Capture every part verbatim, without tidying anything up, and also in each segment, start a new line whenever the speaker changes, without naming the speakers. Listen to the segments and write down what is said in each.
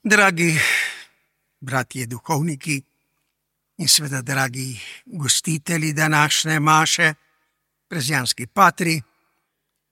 Dragi bratje duhovniki in seveda dragi gostitelji današnje maše, prezijanski patri,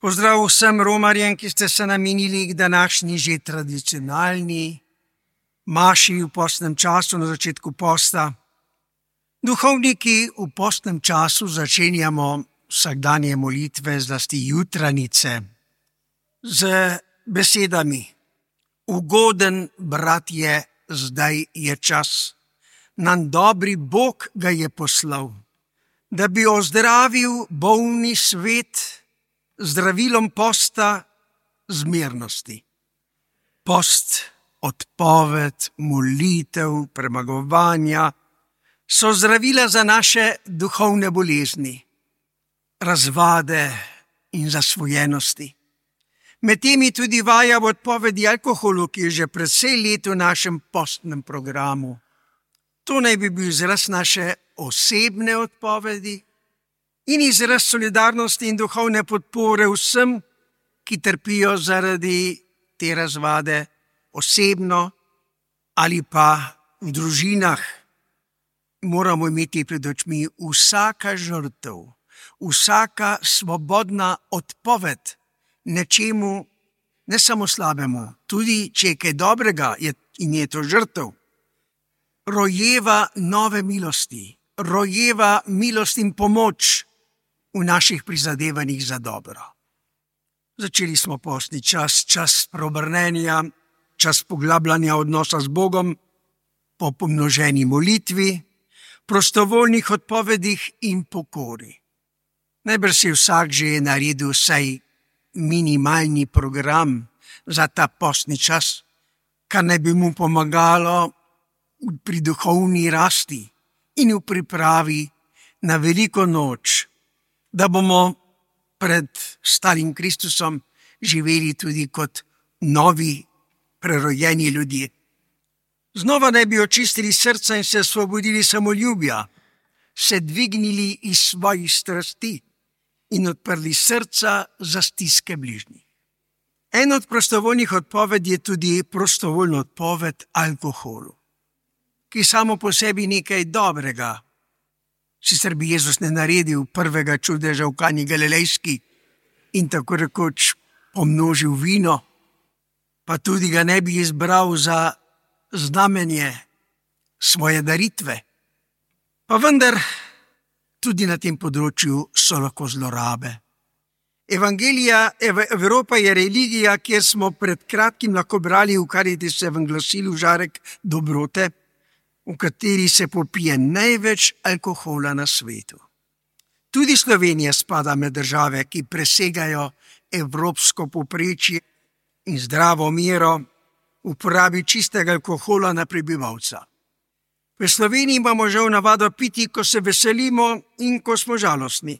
pozdrav vsem romarjem, ki ste se namenili k današnji že tradicionalni maši v postnem času na začetku posta. Duhovniki v postnem času začenjamo vsakdanje molitve, zlasti jutranice, z besedami: ugoden bratje, zdaj je čas, nam dobri Bog ga je poslal, da bi ozdravil bolni svet zdravilom posta zmernosti. Post, odpoved, molitev, premagovanja so zdravila za naše duhovne bolezni, razvade in zasvojenosti. Med temi tudi vaja v odpovedi alkoholu, ki je že precej let v našem postnem programu. To naj bi bil izraz naše osebne odpovedi in izraz solidarnosti in duhovne podpore vsem, ki trpijo zaradi te razvade osebno ali pa v družinah. Moramo imeti pred očmi vsaka žrtev, vsaka svobodna odpoved nečemu, ne samo slabemu, tudi če je kaj dobrega je, in je to žrtev, rojeva nove milosti, rojeva milost in pomoč v naših prizadevanjih za dobro. Začeli smo postni čas, čas preobrnenja, čas poglabljanja odnosa z Bogom, po pomnoženi molitvi, prostovoljnih odpovedih in pokori. Najbrž si vsak že naredil vsaj minimalni program za ta postni čas, kar naj bi mu pomagalo pri duhovni rasti in v pripravi na veliko noč, da bomo pred starim Kristusom živeli tudi kot novi, prerojeni ljudje. Znova naj bi očistili srca in se osvobodili samoljubja, se dvignili iz svojih strasti in odprli srca za stiske bližnjih. En od prostovoljnih odpovedi je tudi prostovoljna odpoved alkoholu, ki samo po sebi nekaj dobrega. Sicer bi Jezus ne naredil prvega čudeža v Kani Galilejski in tako rekoč pomnožil vino, pa tudi ga ne bi izbral za znamenje svoje daritve. Pa vendar tudi na tem področju so lahko zlorabe. Evangelija, ev, Evropa je religija, kjer smo pred kratkim lahko brali v Caritasovem glasilu Žarek dobrote, v kateri se popije največ alkohola na svetu. Tudi Slovenija spada med države, ki presegajo evropsko povprečje in zdravo mero uporabi čistega alkohola na prebivalca. V Sloveniji imamo žal navado piti, ko se veselimo in ko smo žalostni.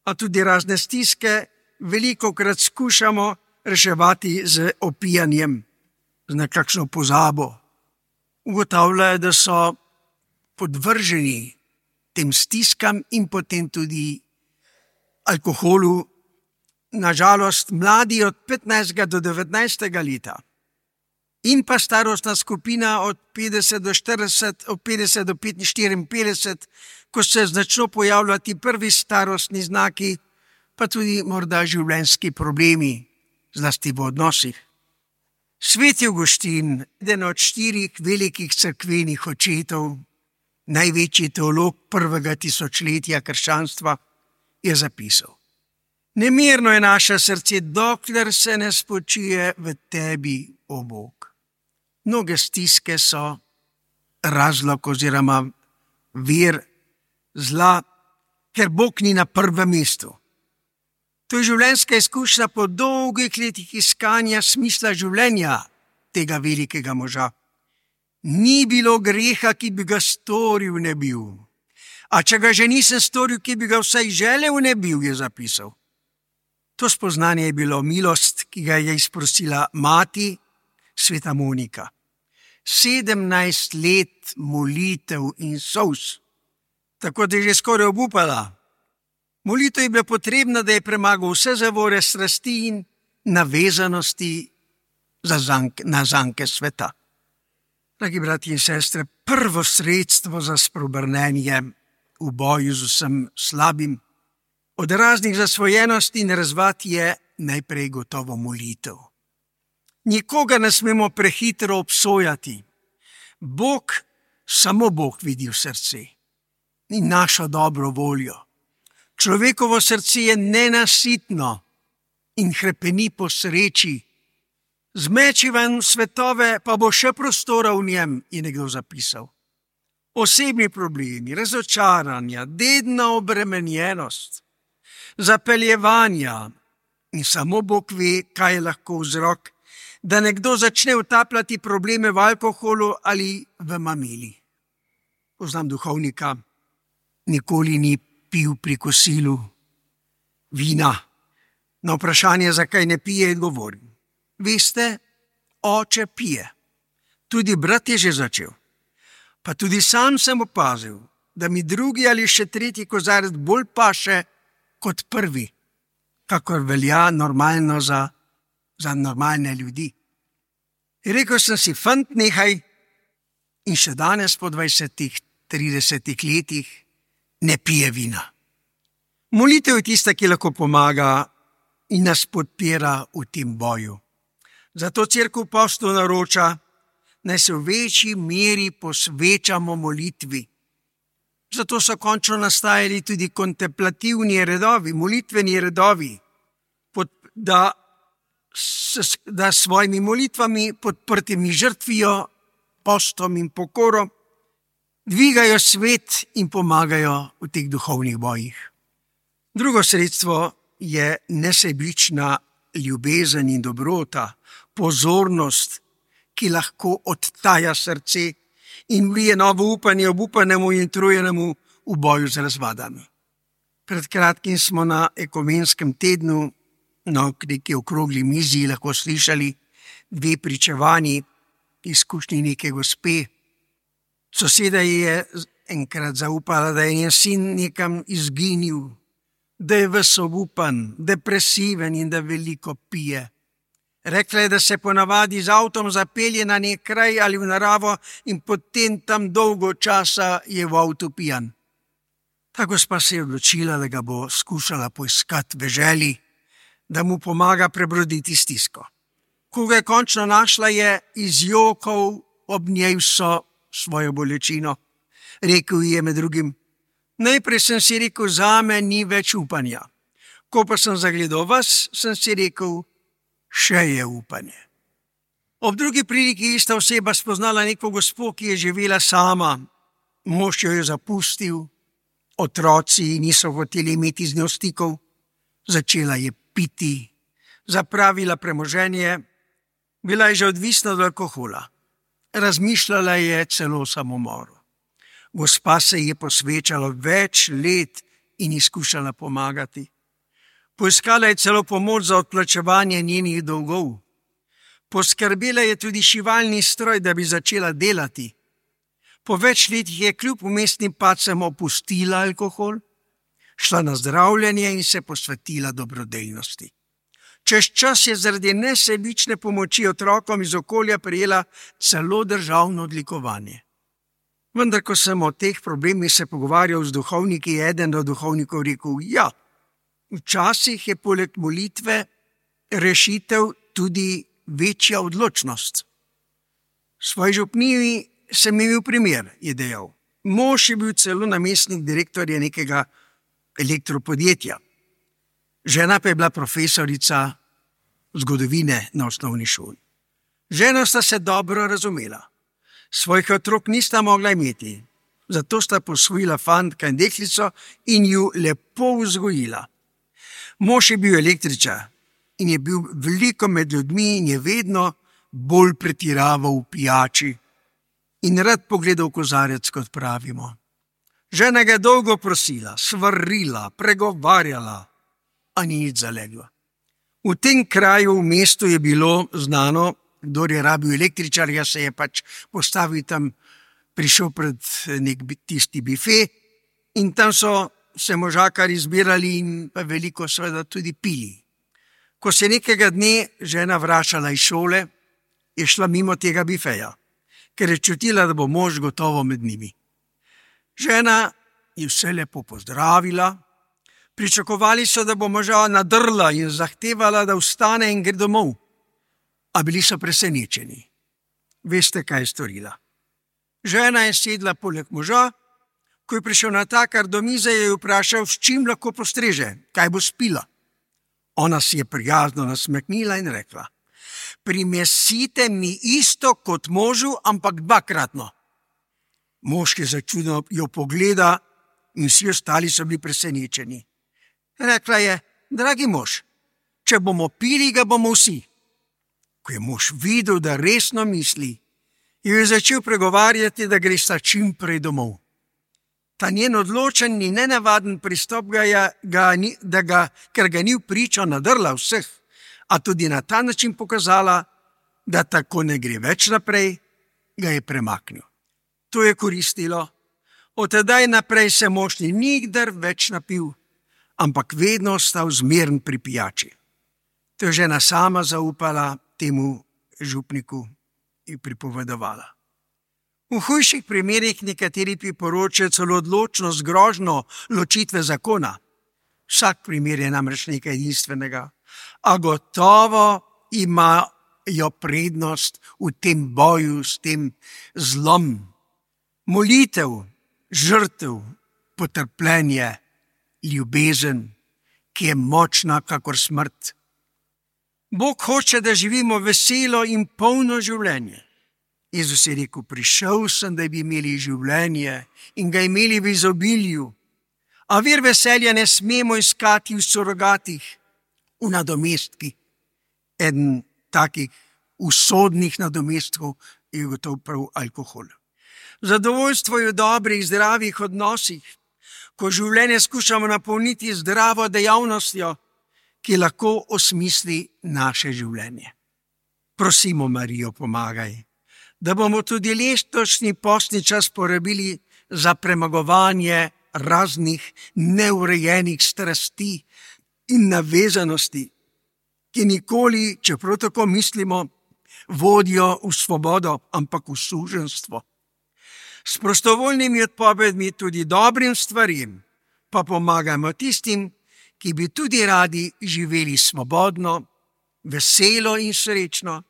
A tudi razne stiske velikokrat skušamo reševati z opijanjem, z nekakšno pozabo. Ugotavljajo, da so podvrženi tem stiskam in potem tudi alkoholu, nažalost mladi od petnajstega do devetnajstega leta. In pa starostna skupina od petdeset do štirideset, od petdeset do petinštirideset, ko se začno pojavljati prvi starostni znaki, pa tudi morda življenjski problemi, zlasti v odnosih. Sveti Avguštin, eden od štirih velikih cerkvenih očetov, največji teolog prvega tisočletja krščanstva, je zapisal: nemirno je naše srce, dokler se ne spočije v tebi, o Bog. Mnoge stiske so razlog oziroma vir zla, ker Bog ni na prvem mestu. To je življenjska izkušnja po dolgih letih iskanja smisla življenja tega velikega moža. Ni bilo greha, ki bi ga storil ne bil. A če ga že nisem storil, ki bi ga vsaj želel ne bil, je zapisal. To spoznanje je bilo milost, ki ga je izprosila mati, sveta Monika. Sedemnajst let molitev in solz, tako da je že skoraj obupala. Molitev je bila potrebna, da je premagal vse zavore strasti in navezanosti za zank, na zanke sveta. Dragi brati in sestre, prvo sredstvo za spreobrnenje v boju z vsem slabim od raznih zasvojenosti in razvad je najprej gotovo molitev. Nikoga ne smemo prehitro obsojati. Bog, samo Bog vidi v srce in našo dobro voljo. Človekovo srce je nenasitno in hrepeni po sreči. Zmeči ven svetove, pa bo še prostora v njem, je nekdo zapisal. Osebni problemi, razočaranja, dedna obremenjenost, zapeljevanja in samo Bog ve, kaj je lahko vzrok, da nekdo začne utapljati probleme v alkoholu ali v mamili. Poznam duhovnika, nikoli ni pil pri kosilu vina. Na vprašanje, zakaj ne pije, je odgovoril: veste, oče pije. Tudi brat je že začel. Pa tudi sam sem opazil, da mi drugi ali še tretji kozarec bolj paše kot prvi, kakor velja normalno za, za normalne ljudi. Rekel sem si: fant, nehaj. In še danes po dvajsetih, tridesetih letih ne pije vina. Molitev je tista, ki lahko pomaga in nas podpira v tem boju. Zato Cerkev postu naroča, naj se v večji meri posvečamo molitvi. Zato so končno nastajali tudi kontemplativni redovi, molitveni redovi, pod, da, s, da s svojimi molitvami podprtimi žrtvijo, postom in pokorom dvigajo svet in pomagajo v teh duhovnih bojih. Drugo sredstvo je nesebična ljubezen in dobrota, pozornost, ki lahko odtaja srce in vlije novo upanje obupanemu in utrujenemu v boju z razvadami. Pred kratkim smo na ekumenskem tednu na neki okrogli mizi lahko slišali dve pričevanji izkušnji neke gospe. Soseda je enkrat zaupala, da je njen sin nekam izginil, da je ves obupan, depresiven in da veliko pije. Rekla je, da se ponavadi z avtom zapelje na nek kraj ali v naravo in potem tam dolgo časa je v avtu pijan. Ta gospa se je odločila, da ga bo skušala poiskati v želji, da mu pomaga prebroditi stisko. Ko ga je končno našla, je izjokal ob njej vso svojo bolečino. Rekel ji je med drugim: najprej sem si rekel, zame ni več upanja. Ko pa sem zagledal vas, sem si rekel, še je upanje. Ob drugi priliki je ista oseba spoznala neko gospo, ki je živela sama. Mož jo je zapustil, otroci niso hoteli imeti z njo stikov, začela je piti, zapravila premoženje, bila je že odvisna od alkohola. Razmišljala je celo o samomoru. Gospa se je posvečala več let in izkušala pomagati. Poiskala je celo pomoč za odplačevanje njenih dolgov. Poskrbela je tudi šivalni stroj, da bi začela delati. Po več letih je kljub vmesnim padcem opustila alkohol, šla na zdravljenje in se posvetila dobrodelnosti. Čez čas je zaradi nesebične pomoči otrokom iz okolja prejela celo državno odlikovanje. Vendar, ko sem o teh problemih se pogovarjal z duhovniki, je eden od duhovnikov rekel: ja, včasih je poleg molitve rešitev tudi večja odločnost. V svoji župniji sem imel primer, je dejal. Mož je bil celo namestnik direktorja nekega elektropodjetja. Žena pa je bila profesorica zgodovine na osnovni šoli. Žena sta se dobro razumela. Svojih otrok nista mogla imeti, zato sta posvojila fantka in deklico in ju lepo vzgojila. Mož je bil električar in je bil veliko med ljudmi in je vedno bolj pretiraval v pijači in rad pogledal kozarec, kot pravimo. Žena ga je dolgo prosila, svarila, pregovarjala, a ni nič zaleglo. V tem kraju v mestu je bilo znano, kdor je rabil električarja, se je pač postavil tam, prišel pred nek tisti bife in tam so se možakari zbirali in pa veliko seveda tudi pili. Ko se nekega dne žena vračala iz šole, je šla mimo tega bifeja. ker je čutila, da bo mož gotovo med njimi. Žena je vse lepo pozdravila, pričakovali so, da bo moža nadrla in zahtevala, da vstane in gre domov, a bili so presenečeni. Veste, kaj je storila? Žena je sedla poleg moža, ko je prišel natakar do mize, je vprašal, s čim lahko postreže, kaj bo spila. Ona si je prijazno nasmehnila in rekla: primesite mi isto kot možu, ampak dvakratno. Mož je začudeno jo pogleda in vsi ostali so bili presenečeni. Rekla je: dragi mož, če bomo pili, ga bomo vsi. Ko je mož videl, da resno misli, je začel pregovarjati, da gre sta čim prej domov. Ta njen odločen in nenavaden pristop ga je, ga, da ga, ker ga ni vpričo nadrla vseh, a tudi na ta način pokazala, da tako ne gre več naprej, ga je premaknil. To je koristilo. Od tedaj naprej se mož ni nikdar več napil, ampak vedno ostal zmeren pri pijači. To je žena sama zaupala temu župniku in pripovedovala. V hujših primerih nekateri priporočajo celo odločnost grožnjo ločitve zakona. Vsak primer je namreč nekaj edinstvenega, a gotovo imajo prednost v tem boju s tem zlom. Molitev, žrtev, potrpljenje, ljubezen, ki je močna kakor smrt. Bog hoče, da živimo veselo in polno življenje. Jezus je rekel: prišel sem, da bi imeli življenje in ga imeli v izobilju. A vir veselja ne smemo iskati v surogatih, v nadomestkih. Eden takih usodnih nadomestkov je gotovo prav alkohol. Zadovoljstvo je v dobrih, zdravih odnosih, ko življenje skušamo napolniti zdravo dejavnostjo, ki lahko osmisli naše življenje. Prosimo Marijo, pomagaj, da bomo tudi letošnji postni čas porabili za premagovanje raznih neurejenih strasti in navezanosti, ki nikoli, čeprav tako mislimo, vodijo v svobodo, ampak v suženjstvo. S prostovoljnimi odpovedmi tudi dobrim stvarim pa pomagamo tistim, ki bi tudi radi živeli svobodno, veselo in srečno,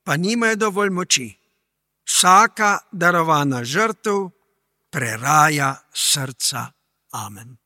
pa nimajo dovolj moči. Vsaka darovana žrtev preraja srca. Amen.